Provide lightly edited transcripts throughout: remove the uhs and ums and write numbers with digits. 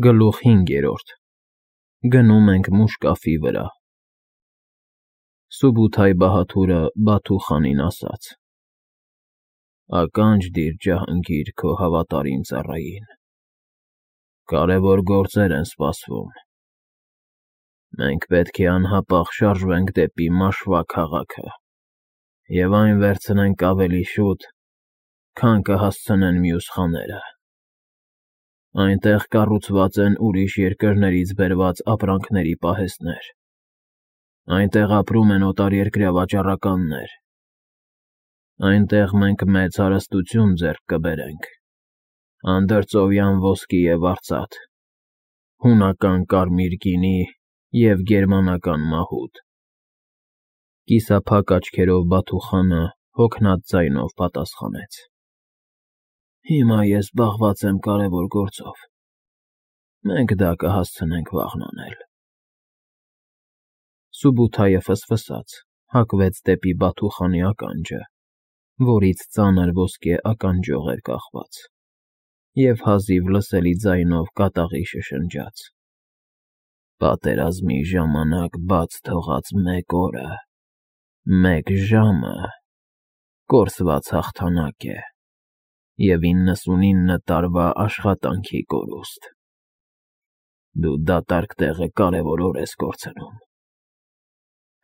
Գլուխ 5. Գնում ենք Մուշկաֆի վրա։ Սուբութայ Բահաթուրը Բաթու խանին ասաց. Ականջ դիր Ջահանգիր քո հավատարիմ ծառային։ Կարևոր գործեր են սպասվում։ Մենք պետք է անհապաղ շարժվենք դեպի Մաշվա քաղաքը և այն վերցնենք ավելի շուտ, քան կհասցնեն մյուս խաները։ Այնտեղ կառուցված են ուրիշ երկրներից բերված ապրանքների պահեստներ։ Այնտեղ ապրում են օտարերկրյա վաճառականներ։ Այնտեղ մենք մեծ հարստություն ձեռք կբերենք. անդրծովյան ոսկի և արծաթ, հունական կարմիր գինի և գերմանական մահուդ։ Կիսափակ աչքերով Բաթու խանը հոգնած ձայնով պատասխանեց. Հիմա ես զբաղված եմ կարևոր գործով։ Մենք դա կհասցնենք վաղն անել։ Սուբութայը ֆսֆսաց, հակվեց դեպի Բաթու խանի ականջը, որից ծանր ոսկե ականջող էր կախված, և հազիվ լսելի ձայնով կատաղի շշնջաց. Պատերազմի ժամանակ բաց թողած 1 օրը, 1 ժամը կորսված հաղթանակ է և 99 տարվա աշխատանքի կորուստ։ Դու դատարկ տեղը կարևոր օր ես կորցնում։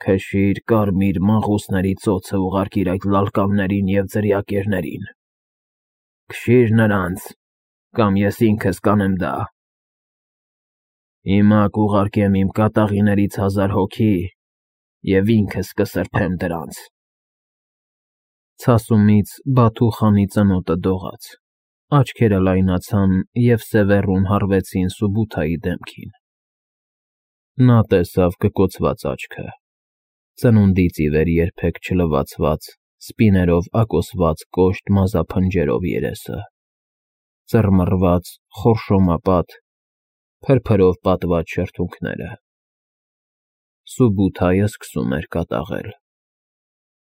Քշիր կարմիր մաղուսների ծոցը ուղարկիր այդ լալկամներին և ձրիակերներին։ Քշիր նրանց, կամ ես ինքս կանեմ դա։ Հիմա կուղարկեմ իմ կատաղիներից 1000 հոգի և ինքս կսրբեմ դրանց։ Ցասումից Բաթու խանի ծնոտը դողաց, աչքերը լայնացան և սևեռուն հառվեցին Սուբութայի դեմքին։ Նա տեսավ կկոցված աչքը, ծնունդից ի վեր երբեք չլվացված, սպիներով ակոսված կոշտ մազափնջերով երեսը, ծռմռված, խորշոմապատ, փրփրով պատված շրթունքները։ Սուբութայը սկսում էր կատաղել։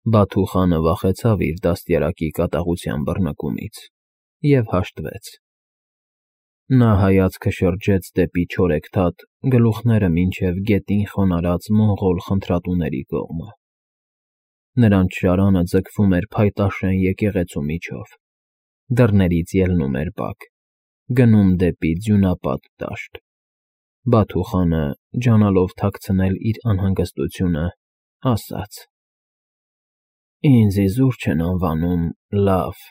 Բաթու խանը վախեցավ իր դաստիարակի կատաղության բռնկումից և հաշտվեց։ Նա հայացքը շրջեց դեպի չորեքթաթ, գլուխները մինչև գետին խոնարհած մոնղոլ խնդրատուների կողմը։ Նրանց շարանը ձգվում էր փայտաշեն եկեղեցու միջով, դռներից ելնում էր բակ, գնում դեպի ձյունապատ դաշտ։ Բաթու խանը, ջանալով թաքցնել իր անհանգստությունը, ասաց. Ինձ իզուր չեն անվանում լավ,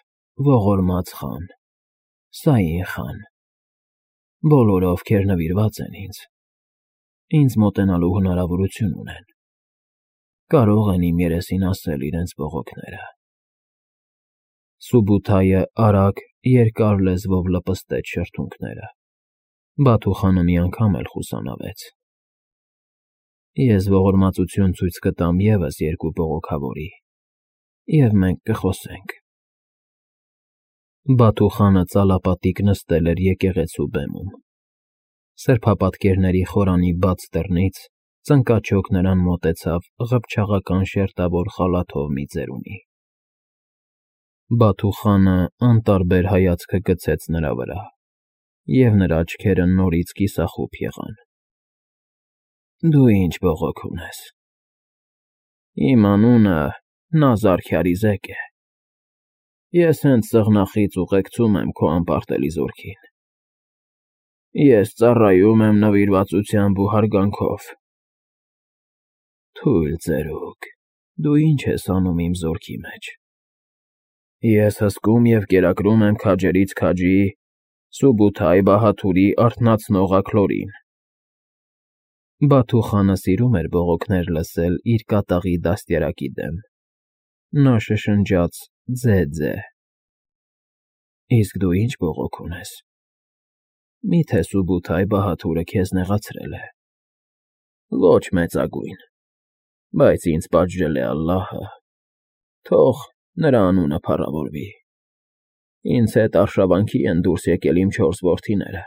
ողորմած խան, Սաին խան։ Բոլորը, ովքեր նվիրված են ինձ մոտենալու հնարավորություն ունեն, կարող են իմ երեսին ասել իրենց բողոքները։ Սուբութայը արագ, երկար լեզվով լպստեց շրթունքները։ Բաթու խանը մի անգամ էլ խուսանավեց։ Ես ողորմածություն ցույց կտամ ևս 2 բողոքավորի, և մենք կխոսենք։ Բաթու խանը ծալապատիկ նստել էր եկեղեցու բեմում։ Սրբապատկերների խորանի բաց դռնից ծնկաչոք նրան մոտեցավ ղփչաղական շերտավոր խալաթով մի ծերունի։ Բաթու խանը անտարբեր հայացքը գցեց նրա վրա, և նրա աչքերը նորից կիսախուփ եղան։ Դու ի՞նչ բողոք ունես։ Իմ անունը Նազար Քյարիզեկ է։ Ես հենց սեղնախից ուղեկցում եմ քո անպարտելի զորքին։ Ես ծառայում եմ նվիրվածությամբ ու հարգանքով։ Թույլ ծերուկ, դու ի՞նչ ես անում իմ զորքի մեջ։ Ես հսկում և կերակրում եմ քաջերից քաջի Սուբութայ Բահաթուրի արթնացնող աքլորին։ Բաթու խանը սիրում էր բողոքներ լսել իր կատաղի դաստիարակի դեմ։ Նա շշնջաց ձե-ձե։ Իսկ դու ի՞նչ բողոք ունես։ Մի՞թե Սուբութայ Բահաթուրը քեզ նեղացրել է։ Ոչ մեծագույն, բայց ինձ պատժել է ալլահը, թող նրա անունը փառավորվի։ Ինձ հետ արշավանքի են դուրս եկել իմ 4 որդիները,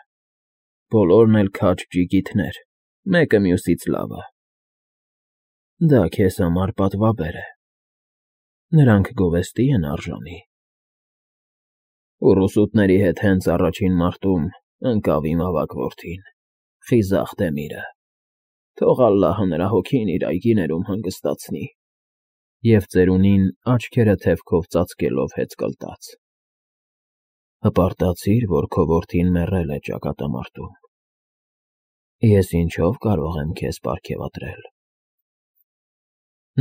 բոլորն էլ քաջ ջիգիթներ, մեկը մյուսից լավը։ Դա քեզ համար պատվաբեր է։ Նրանք գովեստի են արժանի։ Ուռուսուտների հետ հենց առաջին մարտում ընկավ իմ ավագ որդին, խիզախ Դեմիրը, թող ալլահը նրա հոգին իր այգիներում հանգստացնի, և ծերունին աչքերը թևքով ծածկելով հեծկլտաց. հպարտացիր, որ քո որդին մեռել է ճակատամարտում, ես ինչով կարող եմ քեզ պարգևատրել։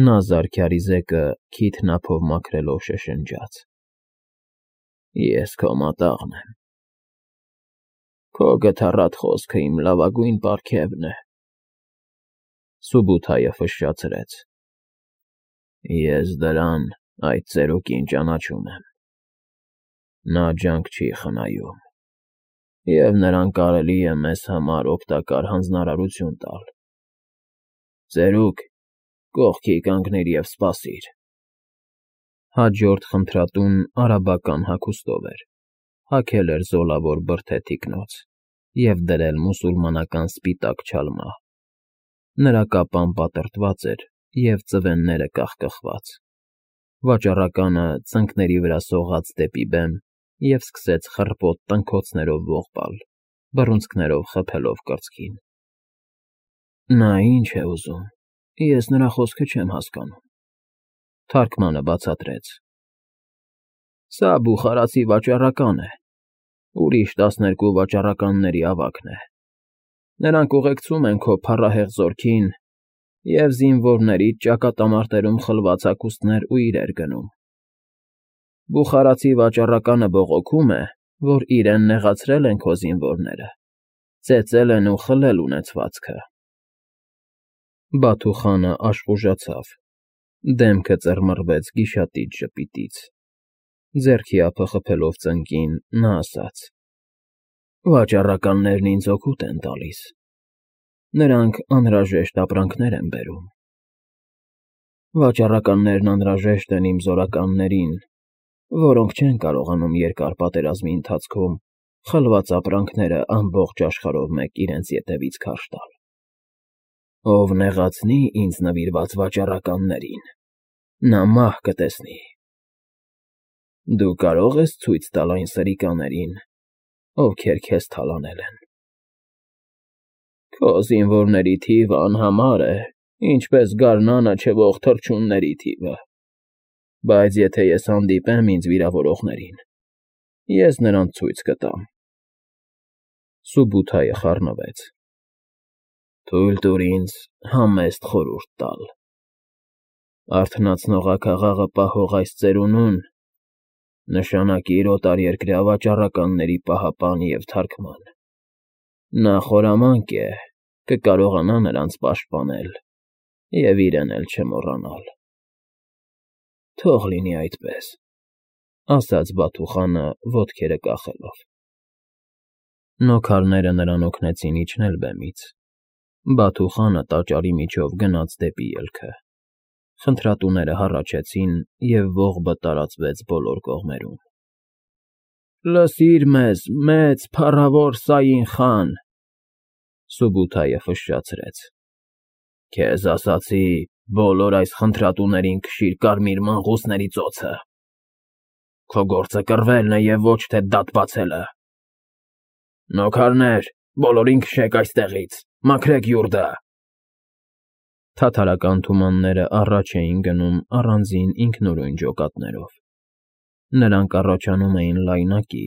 Նա զարդարիզեկը քիթն ափով մաքրելով շշնջաց. Ես քո մատաղն եմ։ Քո գթառատ խոսքը իմ լավագույն պարգևն է։ Սուբութայը ֆշշացրեց. Ես դրան այդ ծերուկին ճանաչում եմ։ Նա ջանք չի խնայում, և նրան կարելի է մեզ համար օգտակար հանձնարարություն տալ։ Ծերուկ, կողքի կանգնիր և սպասիր։ Հաջորդ խնդրատուն արաբական հագուստով էր, հագել էր զոլավոր բրդե թիկնոց և դրել մուսուլմանական սպիտակ չալմա։ Նրա կապան պատրտված էր և ծվենները կախկխված։ Վաճառականը ծնկների վրա սողաց դեպի բեմ և սկսեց խռպոտ տնքոցներով ողբալ, բռունցքներով խփելով կրծքին։ Նա ինչ է ուզում, ես նրա խոսքը չեմ հասկանում։ Թարգմանը բացատրեց. Սա բուխարացի վաճառական է, ուրիշ 12 վաճառականների ավագն է։ Նրանք ուղեկցում են քո փառահեղ զորքին և զինվորներից ճակատամարտերում խլված հագուստներ ու իրեր գնում։ Բուխարացի վաճառականը բողոքում է, որ իրեն նեղացրել են քո զինվորները, ծեծել են ու խլել ունեցվածքը։ Բաթու խանը աշխուժացավ, դեմքը ծռմռվեց գիշատիչ ժպիտից։ Ձեռքի ափը խփելով ծնկին, նա ասաց. Վաճառականներն ինձ օգուտ են տալիս։ Նրանք անհրաժեշտ ապրանքներ են բերում։ Վաճառականներն անհրաժեշտ են իմ զորականներին, որոնք չեն կարողանում երկար պատերազմի ընթացքում խլված ապրանքները ամբողջ աշխարհով մեկ իրենց ետևից քարշ տալ։ Ով նեղացնի ինձ նվիրված վաճառականներին, նա մահ կտեսնի։ Դու կարող ես ցույց տալ այն սրիկաներին, ովքեր քեզ թալանել են։ Քո զինվորների թիվը անհամար է, ինչպես գարնանը չվող թռչունների թիվը, բայց եթե ես հանդիպեմ ինձ վիրավորողներին, ես նրանց ցույց կտամ։ Սուբութայը խառնվեց. Թույլ տուր ինձ համեստ խորհուրդ տալ։ Արթնացնողակաղաղը պահող այս ծերունուն նշանակիր օտարերկրյա վաճառականների պահապան և թարգման։ Նա խորամանկ է, կկարողանա նրանց պաշտպանել և իրեն էլ չմոռանալ։ Թող լինի այդպես, ասաց Բաթու խանը ոտքերը կախելով։ Նոքարները նրան օգնեցին իջնել բեմից։ Բաթու խանը տաճարի միջով գնաց դեպի ելքը։ Խնդրատուները հառաչեցին, և ողբը տարածվեց բոլոր կողմերում։ Լսիր մեզ, մեծ փառավոր Սաին խան, Սուբութայը ֆշշացրեց։ Քեզ ասացի, բոլոր այս խնդրատուներին քշիր կարմիր մնղուսների ծոցը։ Քո գործը կռվելն է և ոչ թե դատ բացելը։ Նոքարներ, բոլորին քշեք այստեղից, մաքրեք յուրդը։ Թաթարական թումանները առաջ էին գնում առանձին ինքնուրույն ջոկատներով։ Նրանք առաջանում էին լայնակի,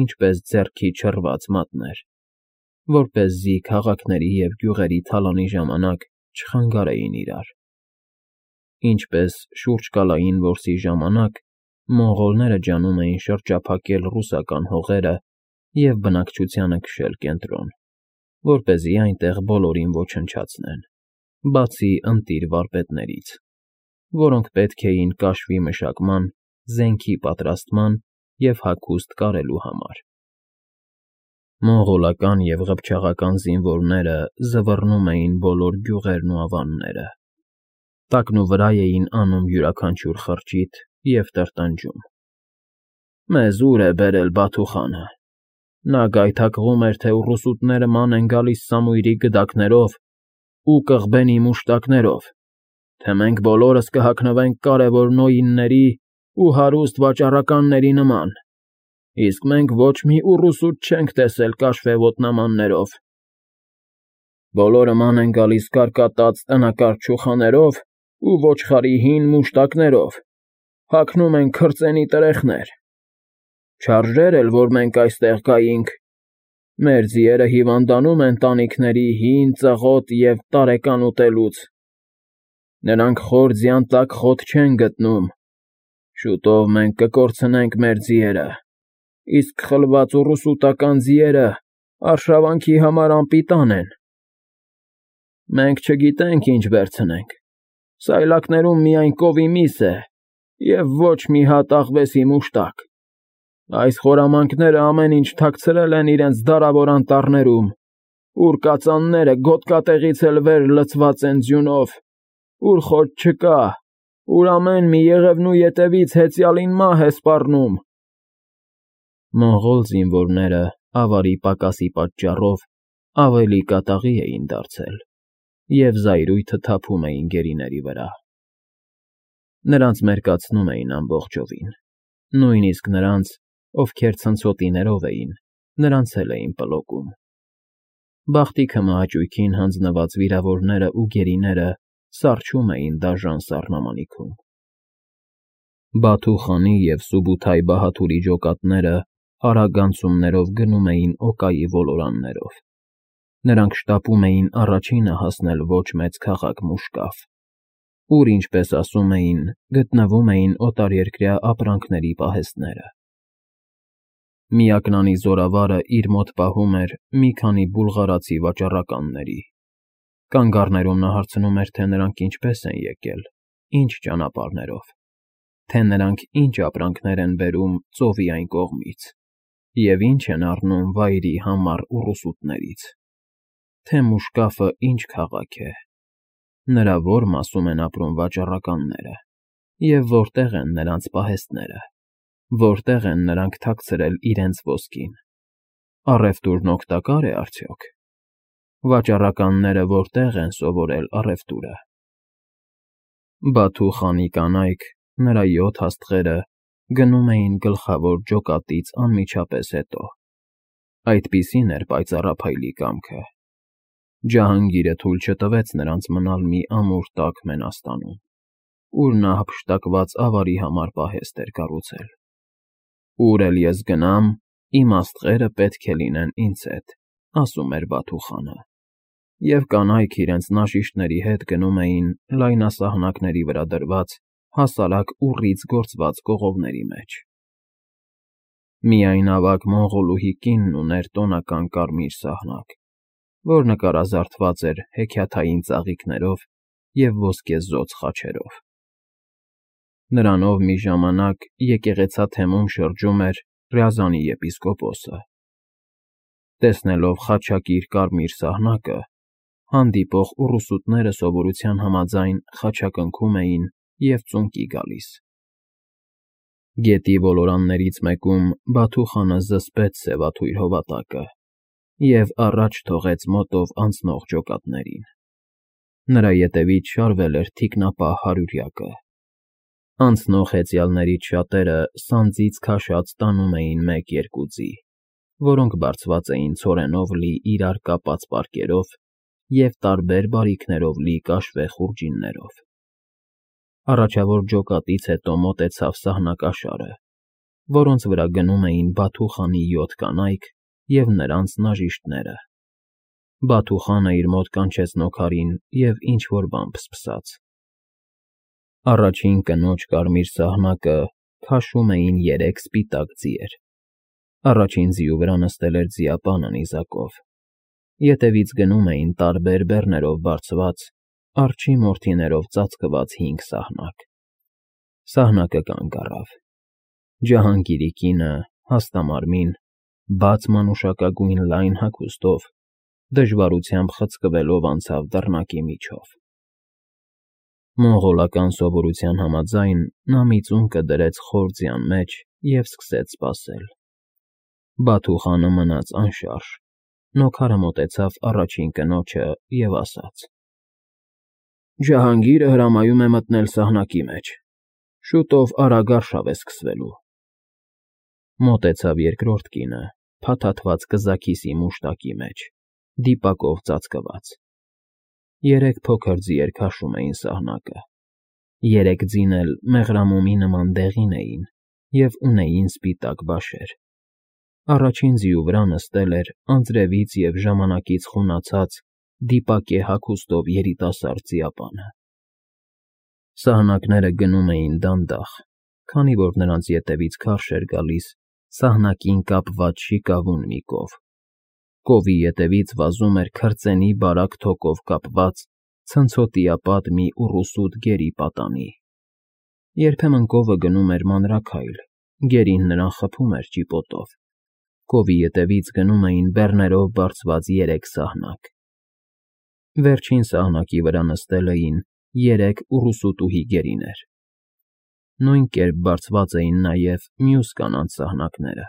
ինչպես ձեռքի չռված մատներ, որպեսզի քաղաքների և գյուղերի թալանի ժամանակ չխանգարեին իրար։ Ինչպես շուրջկալային որսի ժամանակ մոնղոլները ջանում էին շրջափակել ռուսական հողերը և բնակչությանը քշել կենտրոն, որպեսզի այնտեղ բոլորին ոչնչացնեն, բացի ընտիր վարպետներից, որոնք պետք էին կաշվի մշակման, զենքի պատրաստման և հագուստ կարելու համար։ Մոնղոլական և ղփչաղական զինվորները զվռնում էին բոլոր գյուղերն ու ավանները, տակնուվրա էին անում յուրաքանչյուր խրճիթ և տրտնջում։ Մեզ ուր է բերել Բաթու խանը։ Նա գայթակղում էր, թե ուռուսուտները ման են գալիս Սամույրի գդակներով ու կղբենի մուշտակներով, թե մենք բոլորս կհագնվենք կարևոր նոյինների ու հարուստ վաճառականների նման, Իսկ մենք ոչ մի ուռուսուտ չենք տեսել կաշվե ոտնամաններով։ Բոլորը ման են գալիս կարկատած տնակարճ չուխաներով ու ոչխարի հին մուշտակներով, հագնում են քրծենի տրեխներ։ Չարժեր էլ, որ մենք այստեղ կայինք։ Մեր ձիերը հիվանդանում են տանիքների հին ծղոտ և տարեկան ուտելուց։ Նրանք խոր ձյան տակ խոտ չեն գտնում։ Շուտով մենք կկորցնենք մեր ձիերը, իսկ խլված ուռուսուտական ձիերը արշավանքի համար անպիտան են։ Մենք չգիտենք ինչ վերցնենք, սայլակներում միայն կովի միս է և ոչ մի հատ աղվեսի մուշտակ։ Այս խորամանկները ամեն ինչ թաքցրել են իրենց դարավոր անտառներում, ուր կածանները գոտկատեղից էլ վեր լցված են ձյունով, ուր խոտ չկա, ուր ամեն մի եղևնու ետևից հեծյալին մահ է սպառնում։ Մոնղոլ զինվորները ավարի պակասի պատճառով ավելի կատաղի էին դարձել և զայրույթը թափում էին գերիների վրա։ Նրանց մերկացնում էին ամբողջովին, նույնիսկ նրանց, ովքեր ցնցոտիներով էին, նրանց էլ էին պլոկում։ Բախտիքը մահաճույքին հանձնված վիրավորները ու գերիները սառչում էին դաժան սառնամանիքում։ Բաթու խանի և Սուբութայ Բահաթուրի ջոկատները արագ անցումներով գնում էին Օկայի ոլորաններով։ Նրանք շտապում էին առաջինը հասնել ոչ մեծ քաղաք Մուշկաֆ, ուր, ինչպես ասում էին, գտնվում էին օտարերկրյա ապրանքների պահեստները։ Միակնանի զորավարը իր մոտ պահում էր մի քանի բուլղարացի վաճառականների։ Կանգառներում նա հարցնում էր, թե նրանք ինչպես են եկել, ինչ ճանապարհներով, թե նրանք ինչ ապրանքներ են բերում ծովի այն կողմից և ինչ են առնում վայրի համառ ուռուսուտներից, թե Մուշկաֆը ինչ քաղաք է, նրա ո՞ր մասում են ապրում վաճառականները և որտեղ են նրանց պահեստները, որտեղ են նրանք թաքցրել իրենց ոսկին, առևտուրն օգտակա՞ր է արդյոք, վաճառականները որտեղ են սովորել առևտուրը։ Բաթու խանի կանայք, նրա 7 աստղերը, գնում էին գլխավոր ջոկատից անմիջապես հետո։ Այդպիսին էր պայծառափայլի կամքը։ Ջահանգիրը թույլ չտվեց նրանց մնալ մի ամուր տաք մենաստանում, ուր նա հափշտակված ավարի համար պահեստ էր կառուցել։ Ուր էլ ես գնամ, իմ աստղերը պետք է լինեն ինձ հետ, ասում էր Բաթու խանը, և կանայք իրենց նաշիշների հետ գնում էին լայնասահնակների վրա դրված հասարակ ուռից գործված կողովների մեջ։ Միայն ավագ մոնղոլուհի կինն ուներ տոնական կարմիր սահնակ, որ նկարազարդված էր հեքիաթային ծաղիկներով և ոսկեզօծ խաչերով։ Նրանով մի ժամանակ եկեղեցաթեմում շրջում էր Ռյազանի եպիսկոպոսը։ Տեսնելով խաչակիր կարմիր սահնակը, հանդիպող ուռուսուտները սովորության համաձայն խաչակնքում էին և ծունկի գալիս։ Գետի ոլորաններից մեկում Բաթու խանը զսպեց սևաթույր հովատակը և առաջ թողեց մոտով անցնող ջոկատներին։ Նրա ետևից շարվել էր թիկնապահ հարյուրյակը։ Անցնող հեծյալներից շատերը սանձից քաշած տանում էին 1-2 ձի, որոնք բարձված էին ցորենով լի իրար կապած պարկերով և տարբեր բարիքներով լի կաշվե խուրջիններով։ Առաջավոր ջոկատից հետո մոտեցավ սահնակաշարը, որոնց վրա գնում էին Բաթու խանի 7 կանայք և նրանց նաժիշտները։ Բաթու խանը իր մոտ կանչեց նոքարին և ինչ֊որ բան փսփսաց։ Առաջին կնոջ կարմիր սահնակը քաշում էին 3 սպիտակ ձիեր։ Առաջին ձիու վրա նստել էր ձիապանը նիզակով։ Ետևից գնում էին տարբեր բեռներով բարձված, արջի մորթիներով ծածկված 5 սահնակ։ Սահնակը կանգ առավ։ Ջահանգիրի կինը, հաստամարմին, բաց մանուշակագույն լայն հագուստով, դժվարությամբ խցկվելով անցավ դռնակի միջով։ Մոնղոլական սովորության համաձայն նա մի ծունկը դրեց խոր ձյան մեջ և սկսեց սպասել։ Բաթու խանը մնաց անշարժ։ Նոքարը մոտեցավ առաջին կնոջը և ասաց. Ջահանգիրը հրամայում է մտնել սահնակի մեջ։ Շուտով արագ արշավ է սկսվելու։ Մոտեցավ երկրորդ կինը, փաթաթված կզաքիսի մուշտակի մեջ, դիպակով ծածկված։ 3 փոքր ձիեր քաշում էին սահնակը։ 3 ձին էլ մեղրամոմի նման դեղին էին և ունեին սպիտակ բաշեր։ Առաջին ձիու վրա նստել էր անձրևից և ժամանակից խունացած, դիպակե հագուստով երիտասարդ ձիապանը։ Սահնակները գնում էին դանդաղ, քանի որ նրանց ետևից քարշ էր գալիս սահնակին կապված շիկավուն մի կով։ Կովի ետևից վազում էր քրծենի բարակ թոկով կապված ցնցոտիապատ մի ուռուսուտ գերի պատանի։ Երբեմն կովը գնում էր մանրաքայլ, գերին նրան խփում էր ճիպոտով։ Կովի ետևից գնում էին բեռներով բարձված 3 սահնակ։ Վերջին սահնակի վրա նստել էին 3 ուռուսուտուհի գերիներ։ Նույն կերպ բարձված էին նաև մյուս կանանց սահնակները։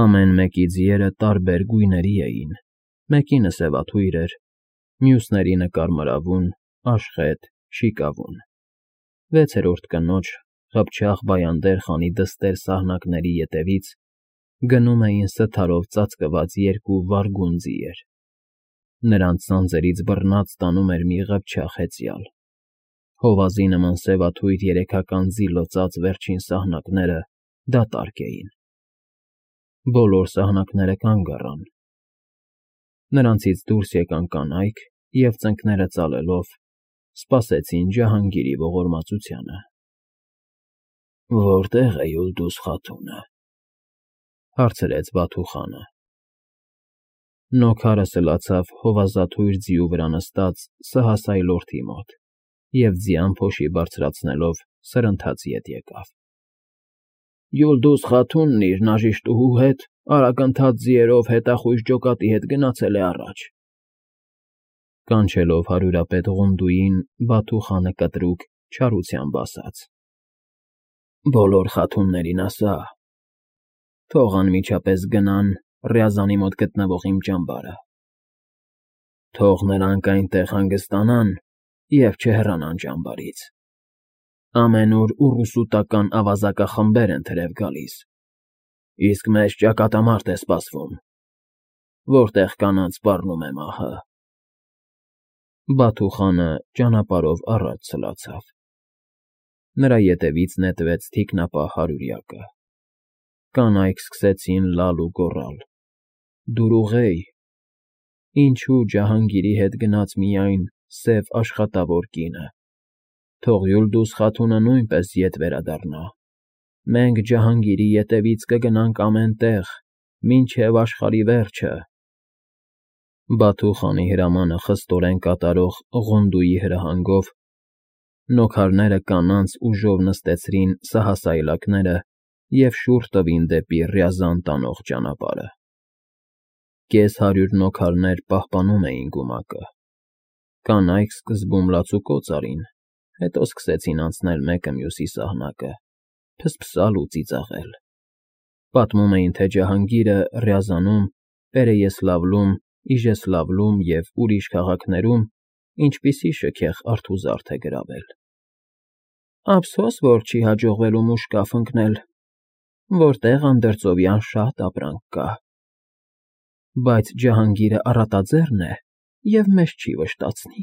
Ամեն մեկի ձիերը տարբեր գույների էին, մեկինը սևաթույր էր, մյուսներինը կարմրավուն, աշխետ, շիկավուն։ 6-րդ կնոջ խփճախ բայանդեր խանի դստեր սահնակների ետևից գնում էին սթարով ծածկված 2 վարգուն ձիեր։ Նրանց սանձերից բռնած տանում էր մի ղփչաղ հեծյալ։ Հովազի նման սևաթույր երեքական ձի լծած վերջին սահնակները դատարկ էին։ Բոլոր սահնակները կանգ առան։ Նրանցից դուրս եկան կանայք և ծնկները ծալելով սպասեցին Ջահանգիրի ողորմածությանը։ «Որտե՞ղ է Յուլդուզ Խաթունը,» հարցրեց Բաթուխանը։ Նոքարը սլացավ հովազաթույր ձիու վրա նստած սհասայլորդի մոտ և ձյան փոշի բարձրացնելով սրընթաց ետ եկավ։ «Յուլդուզ Խաթունն իր նաժիշտուհու հետ արագընթաց ձիերով հետախույզ ջոկատի հետ գնացել է առաջ», կանչելով հարյուրապետ Ղունդուին, Բաթուխանը կտրուկ չարությամբ ասաց։ «Բոլոր խաթուններին ասա, թող անմիջապես գնան Ռյազանի մոտ գտնվող իմ ճամբարը։ Թող նրանք այնտեղ հանգստանան և չհեռանան ճամբարից։ Ամենուր ուռուսուտական ավազակախմբեր են թրև գալիս, իսկ մեզ ճակատամարտ է սպասվում, որտեղ կանանց սպառնում է մահը»։ Բաթուխանը ճանապարհով առաջ սլացավ։ Նրա ետևից նետվեց թիկնապահ հարյուրյակը։ Կանայք սկսեցին լալ ու գոռալ. «Դուրուղեյ»։ Ինչո՞ւ Ջահանգիրի հետ գնաց միայն սև աշխատավոր կինը։ Թող Յուլդուզ Խաթունը նույնպես ետ վերադառնա։ Մենք Ջահանգիրի ետևից կգնանք ամեն տեղ, մինչև աշխարհի վերջը։ Բաթուխանի հրամանը խստորեն կատարող Ղունդուի հրահանգով նոքարները կանանց ուժով նստեցրին սահասայլակները և շուռ տվին դեպի Ռյազան տանող ճանապարհը։ Կես հարյուր նոքարներ պահպանում էին գումակը։ Կանայք սկզբում լացուկոծ արին, հետո սկսեցին անցնել մեկը մյուսի սահնակը, փսփսալ ու ծիծաղել։ Պատմում էին, թե Ջահանգիրը Ռյազանում, Պերեյեսլավլում, Իժեսլավլում և ուրիշ քաղաքներում ինչպիսի շքեղ արթուզարդ է գրավել։ Ափսոս, որ չի հաջողվելու մուշկաֆ ընկնել, որտեղ անդրծովյան շատ ապրանք կա։ Բայց Ջահանգիրը առատաձեռն է և մեզ չի վշտացնի։